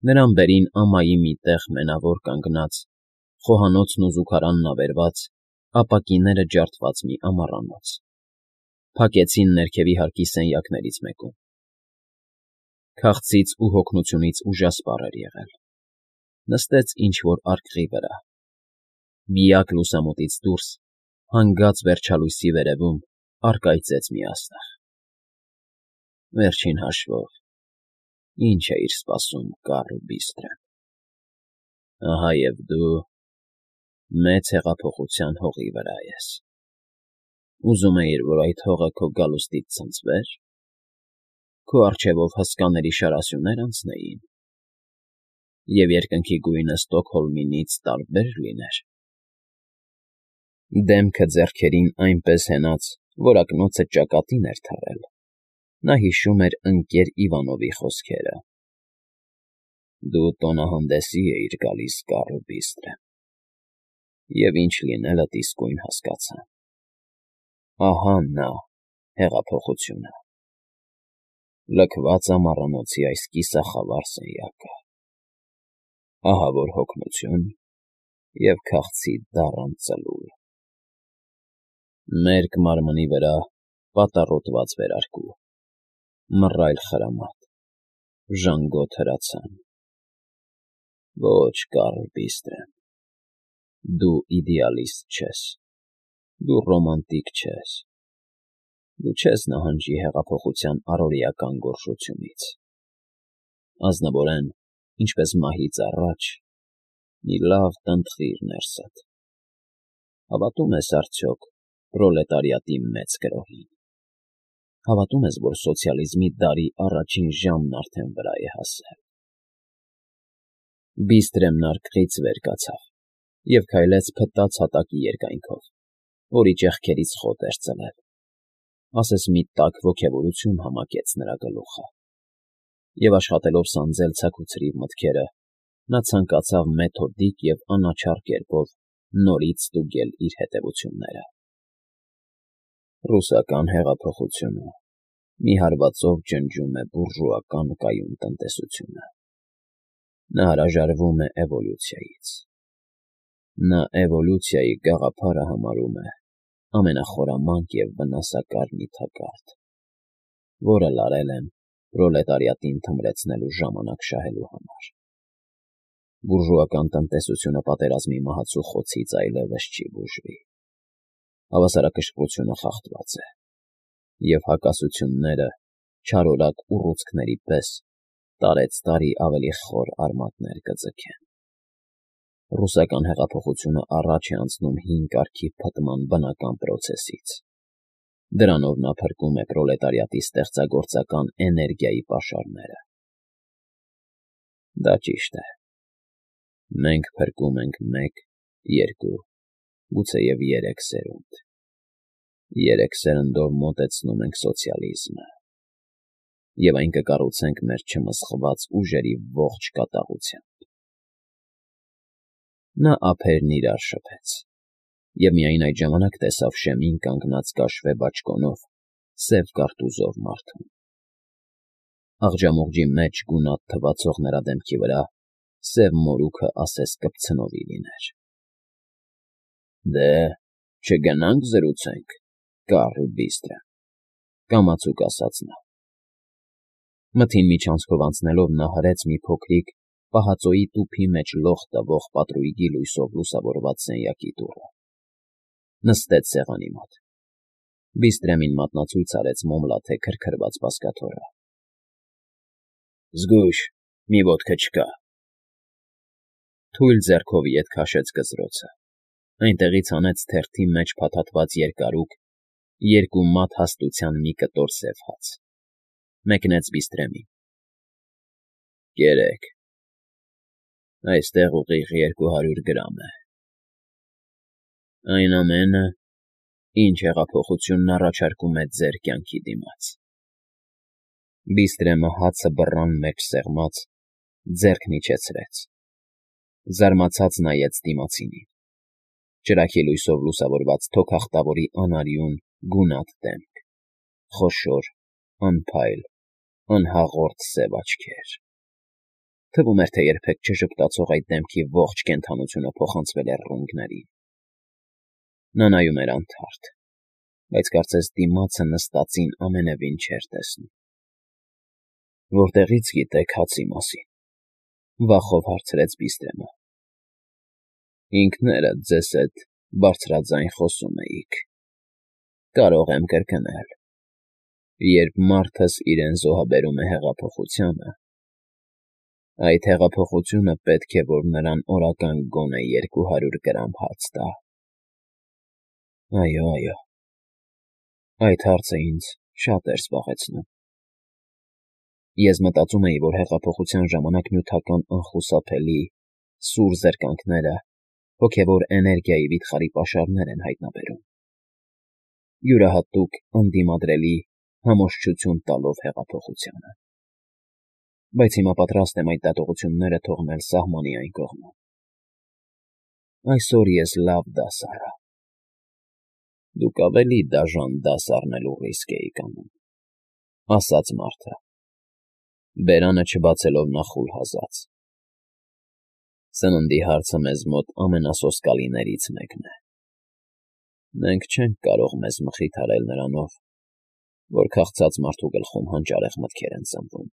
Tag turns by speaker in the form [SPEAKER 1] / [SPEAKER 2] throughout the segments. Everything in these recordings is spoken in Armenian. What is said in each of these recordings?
[SPEAKER 1] Նրան բերին ամայի մի տեղ մենավոր կանգնած, խոհանոցն ու զուգարանն ավերված, ապակիները ջարդված մի ամառանոց, փակեցին ներքևի հարկի սենյակներից մեկում։ Քաղցից ու հոգնությունից ուժասպառ էր եղել, նստեց ինչ֊որ արկղի վրա, միակ լուսամուտից դուրս, հանգած վերջալույսի վերևում, առկայծեց մի աստղ։ Վերջին հաշվով, ի՞նչ էիր սպասում, Կարլ Բիստրեմ, ահա և դու մեծ հեղափոխության հողի վրա ես, ուզում էիր, որ այդ հողը քո գալուստից ցնցվե՞ր, քո առջևով հսկաների շարասյունե՞ր անցնեին, և երկնքի գույնը Ստոկհոլմինից տարբե՞ր լիներ։ Դեմքը ձեռքերին այնպես հենած, որ ակնոցը ճակատին էր թռել, նա հիշում էր ընկեր Իվանովի խոսքերը. «Դու տոնահանդեսի էիր գալիս, Կարլ Բիստրեմ, և ինչ լինելդ իսկույն հասկացա. ահա նա, հեղափոխությունը, լքված ամառանոցի այս կիսախավար սենյակը, ահա որ հոգնություն և քաղցի դառն ծլուլ, մերկ մարմնի վրա պատառոտված վերարկու, մռայլ խրամատ, ժանգոտ հրացան։ Ոչ, Կարլ Բիստրեմ, դու իդեալիստ չես, դու ռոմանտիկ չես, դու չես նահանջի հեղափոխության առօրեական գոռշությունից, ազնվորեն, ինչպես մահից առաջ, մի լավ տնտղիր ներսդ, հավատո՞ւմ ես արդյոք պրոլետարիատի մեծ գրոհին, հավատո՞ւմ ես, որ սոցիալիզմի դարի առաջին ժամն արդեն վրա է հասել»։ Բիստրեմն արկղից վեր կացավ և քայլեց փտած հատակի երկայնքով, որի ճեղքերից խոտ էր ծլել, ասես մի տաք ոգևորություն համակեց նրա գլուխը, և աշխատելով սանձել ցաքուցրիվ մտքերը, նա ցանկացավ մեթոդիկ և անաչառ կերպով նորից ստուգել իր հետևությունները։ Ռուսական հեղափոխությունը մի հարվածով ջնջում է բուրժուական կայուն տնտեսությունը։ Նա հրաժարվում է էվոլյուցիայից։ Նա էվոլյուցիայի գաղափարը համարում է ամենախորամանկ և վնասակար մի թակարդ, որը լարել են պրոլետարիատին թմրեցնելու ժամանակ շահելու համար։ Բուրժուական տնտեսությունը պատերազմի մահացու խոցից այլևս չի բուժվի։ Հավասարակշռությունը խախտված է, և հակասությունները չարորակ ուռուցքների պես տարեցտարի ավելի խոր արմատներ կձգեն։ Ռուսական հեղափոխությունը առաջ է անցնում հին կարգի փտման բնական պրոցեսից։ Դրանով նա փրկում է պրոլետարիատի ստեղծագործական էներգիայի պաշարները։ Դա ճիշտ է։ Մենք փրկում ենք մեկ, երկու, գուցեև երեք սերունդ։ Երեք սերնդով մոտեցնում ենք սոցիալիզմը, և այն կկառուցենք մեր չմսխված ուժերի ողջ կատաղությամբ։ Նա ափերն իրար շփեց, և միայն այդ ժամանակ տեսավ շեմին կանգնած կաշվե բաճկոնով սև կարտուզով մարդուն։ Աղջամուղջի մեջ գունատ թվացող նրա դեմքի վրա սև մորուքը ասես կպցնովի լիներ։ Դե, չգնա՞նք զրուցենք, Կարլ Բիստրեմ, կամացուկ ասաց նա։ Մթին միջանցքով անցնելով նա հրեց մի փոքրիկ, պահածոյի տուփի մեջ լող տվող պատրույգի լույսով լուսավորված սենյակի դուռը։ Նստեց սեղանի մոտ։ Բիստրեմին մատնացույց արեց մոմլաթե քրքրված բազկաթոռը։ Զգույշ, մի ոտքը չկա։ Թույլ ձեռքով ետ քաշեց գզրոցը, այնտեղից հանեց թերթի մեջ փաթաթված երկարուկ, երկու մատ հաստության մի կտոր սև հաց, մեկնեց Բիստրեմին։ Կերեք, այստեղ ուղիղ 200 գրամ է։ Այն ամենը, ինչ հեղափոխությունն առաջարկում է ձեր կյանքի դիմաց։ Բիստրեմը հացը բռան մեջ սեղմած, ձեռքն իջեցրեց, զարմացած նայեց դիմացինին։ Ճրագի լույսով լուսավորված թոքախտավորի անարյուն, գունատ դեմք, խոշոր, անփայլ, անհաղորդ սև աչքեր։ Թվում էր, թե երբեք չժպտացող այդ դեմքի ողջ կենդանությունը փոխանցվել է ռունգների։ Նա նայում էր անթարթ, բայց կարծես դիմացը նստածին ամենևին չէր տեսնում։ Որտեղի՞ց գիտեք հացի մասին,֊ վախով հարցրեց Բիստրեմը։ Ինքներդ ձեզ հետ բարձրաձայն խոսում էիք։ Կարող եմ կրկնել. երբ մարդս իրեն զոհաբերում է հեղափոխությանը, այդ հեղափոխությունը պետք է, որ նրան օրական գոնե 200 գրամ հաց տա։ Այո, այդ հարցը ինձ շատ էր զբաղեցնում։ Ես մտածում էի, որ հեղափոխության ժամանակ նյութական անխուսափելի, սուր զրկանքները հոգևոր էներգիայի վիթխարի պաշարներ են հայտնաբերում, յուրահատուկ անդիմադրելի համոզչություն տալով հեղափոխությանը։ Բայց հիմա պատրաստ եմ այդ դատողությունները թողնել սահմանի այն կողմում։ Այսօր ես լավ դաս առա։ Դուք ավելի դաժան դաս առնելու ռիսկ էիք անում,֊ ասաց մարդը, բերանը չբացելով նախուլ հազաց։ Սննդի հարցը մեզ մոտ ամենասոսկալիներից մեկն է։ Մենք չենք կարող մեզ մխիթարել նրանով, որ քաղցած մարդու գլխում հանճարեղ մտքեր են ծնվում։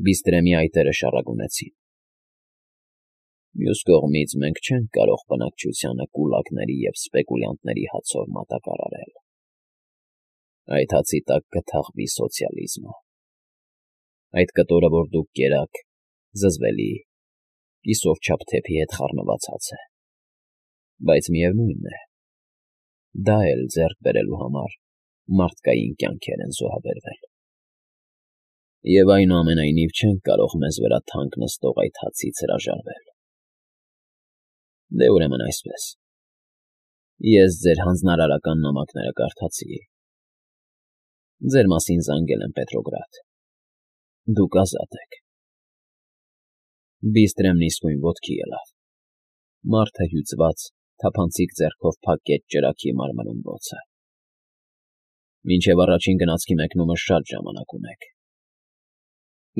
[SPEAKER 1] Բիստրեմի այտերը շառագունեցին։ Մյուս կողմից մենք չենք կարող բնակչությանը կուլակների և սպեկուլյանտների հացով մատակարարել։ Այդ հացի տակ կթաղվի սոցիալիզմը։ Այդ կտորը, որ դուք կերաք, զզվելի, կիսով չափ թեփի հետ խառնված հաց է։ Բայց միևնույն է, դա էլ ձեռք բերելու համար մարդկային կյանքեր են զոհաբերվել։ Եվ այնուամենայնիվ չենք կարող մեզ վրա թանկ նստող այդ հացից հրաժարվել։ Դե ուրեմն այսպես. ես ձեր հանձնարարական նամակները կարդացի։ Ձեր մասին զանգել եմ Պետրոգրադ։ Դուք ազատ եք։ Բիստրեմն իսկույն ոտքի ելավ։ Մարդը հյուծված, թափանցիկ ձեռքով փակեց ճրագի մարմնում բոցը։ Մինչև առաջին գնացքի մեկնումը շատ ժամանակ ունեք։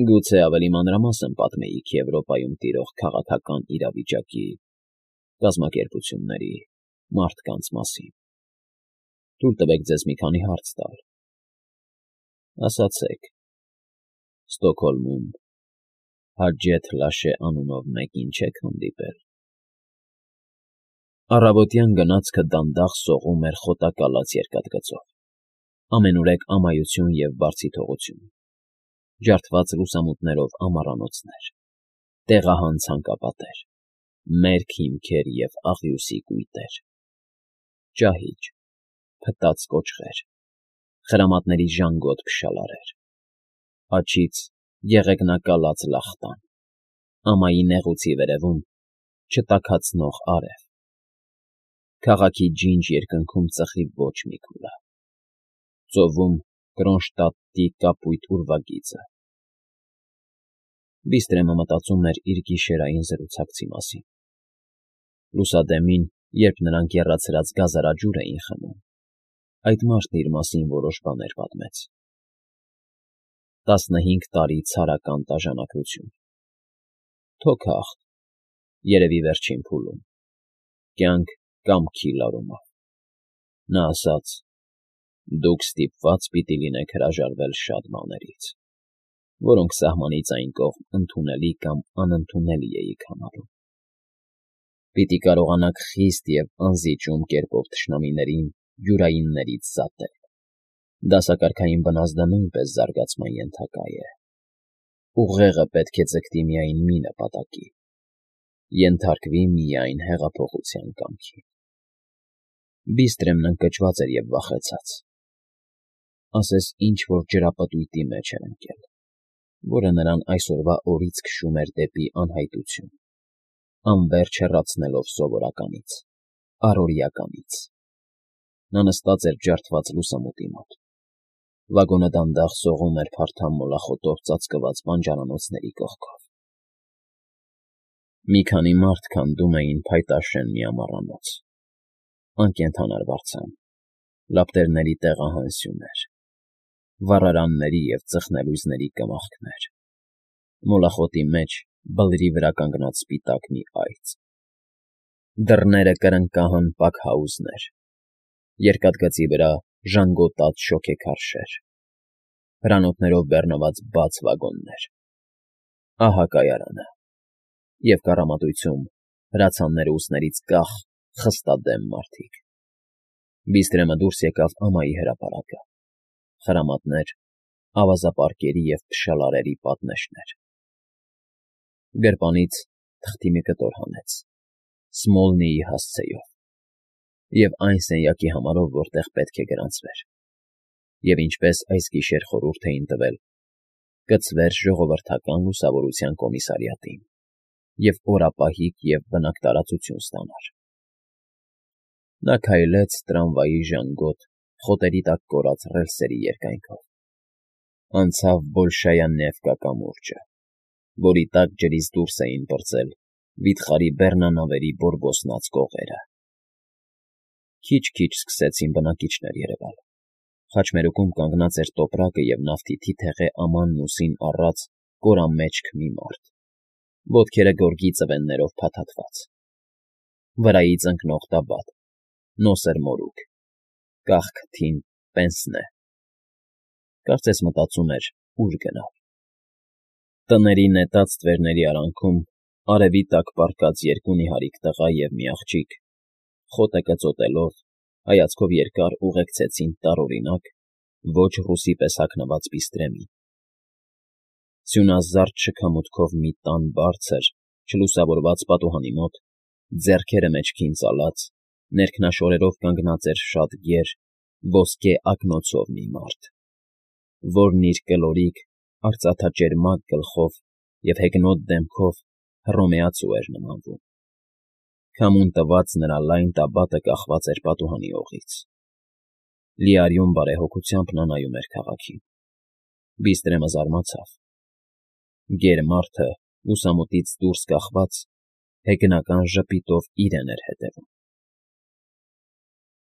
[SPEAKER 1] Գուցե ավելի մանրամասն պատմեիք Եվրոպայում տիրող քաղաքական իրավիճակի, կազմակերպությունների, մարդկանց մասին։ Թույլ տվեք ձեզ մի քանի հարց տալ։ Ասացեք, Ստոկհոլմում Հաջեթ Լաշե անունով մեկին չեք հանդիպել։ Առավոտյան գնացքը դանդաղ սողում էր խոտակալած երկաթգծով, ամենուրեք ամայություն և բարձիթողություն, ջարդված լուսամուտներով ամառանոցներ, տեղահան ցանկապատեր, մերկ հիմքեր և աղյուսի կույտեր, ճահիճ, փտած կոճղեր, խրամատների ժանգոտ փշալարեր, աջից եղեգնակալած լախտան, ամայի նեղուցի վերևում չտաքացնող արև, քաղաքի ջինջ երկնքում ծխի ոչ մի քուլա, ծովում Կրոնշտադտի կապույտ ուրվագիծը։ Բիստրեմը մտածում էր իր գիշերային զրուցակցի մասին։ Լուսադեմին, երբ նրանք եռացրած գազարաջուր էին խմում, այդ մարդն իր մասին որոշ բաներ պատմեց։ 15 տարի ցարական տաժանակություն, թոքախտ, երևի վերջին փուլում, կյանք կամքի լարումով։ Նա ասաց. դուք ստիպված պիտի լինեք հրաժարվել շատ բաներից, որոնք սահմանից այն կողմ ընդունելի կամ անընդունելի էիք համարում։ Պիտի կարողանաք խիստ և անզիջում կերպով թշնամիներին յուրայիններից զատել։ Դասակարգային բնազդը նույնպես զարգացման ենթակա է։ Ուղեղը պետք է ձգտի միայն մի նպատակի՝ ենթարկվի միայն հեղափոխության կամքին։ Բիստրեմն ընկճված էր և վախեցած։ Ասես ինչ-որ ջրապտույտի մեջ էր ընկել, որը նրան այսօրվա օրից քշում էր դեպի անհայտություն, անվերջ հեռացնելով սովորականից, առօրեականից։ Նա նստած էր ջարդված լուսամուտի մոտ։ Վագոնը դանդաղ սողում էր փարթամ մոլախոտով ծածկված բանջարանոցների կողքով։ Մի քանի մարդ քանդում էին փայտաշեն մի ամառանոց, անկենդան արվարձան, լապտերների տեղահան սյուներ, վառարանների և ծխնելույզների կմախքներ։ մոլախոտի մեջ բլրի վրա կանգնած սպիտակ մի այծ։ Դռները կրնկահան պաքհաուզներ, երկաթգծի վրա ժանգոտած շոգեքարշեր, հրանոթներով բեռնված բաց վագոններ։ Ահա կայարանը, և կառամատույցում հրացանները ուսներից կախ, խստադեմ մարդիկ։ Բիստրեմը դուրս եկավ ամայի հրապարակը, խրամատներ, ավազապարկերի և փշալարերի պատնեշներ։ Գրպանից թղթի մի կտոր հանեց, Սմոլնիի հասցեով, և այն սենյակի համարով, որտեղ պետք է գրանցվեր, և ինչպես այս գիշեր խորհուրդ էին տվել, կցվեր ժողովրդական լուսավորության կոմիսարիատին և օրապահիկ և բնակտարացություն ստանար։ Նա քայլեց տրամվայի ժանգոտ, խոտերի տակ կորած ռելսերի երկայնքով, անցավ Բոլշայանևկա կամուրջը, որի տակ ջրից դուրս էին պրծել վիթխարի բեռնանավերի բորբոսնած կողերը։ Քիչ-քիչ սկսեցին բնակիչներ երևալ։ Խաչմերուկում կանգնած էր տոպրակը և նավթի թիթեղե ամանն ուսին առած կորամեջք մի մարդ, ոտքերը գորգի ծվեններով փաթաթված, վրայից ընկնող տաբատ, նոսր մորուք, կախ քթին պենսնե։ Կարծես մտածում էր՝ ուր գնալ։ Տների նետած ստվերների արանքում, արևի տակ պառկած երկու նիհարիկ տղա և մի աղջիկ, խոտը կծոտելով, հայացքով երկար ուղեկցեցին տարօրինակ, ոչ ռուսի պես հագնված Բիստրեմին։ Սյունազարդ շքամուտքով մի տան բարձր, չլուսավորված պատուհանի մոտ, ձեռքերը մեջքին ծալած, ներքնաշորերով կանգնած էր շատ գեր, ոսկե ակնոցով մի մարդ, որն իր կլորիկ, արծաթաճերմակ գլխով և հեգնոտ դեմքով Հռոմեացու էր նմանվում։ Քամուն տված նրա լայն տաբատը կախված էր պատուհանի օղից։ Լիարյուն բարեհոգությամբ նա նայում էր քաղաքին։ Բիստրեմը զարմացավ։ Գեր մարդը, լուսամուտից դուրս կախված, հեգնական ժպիտով իրեն էր հետևում։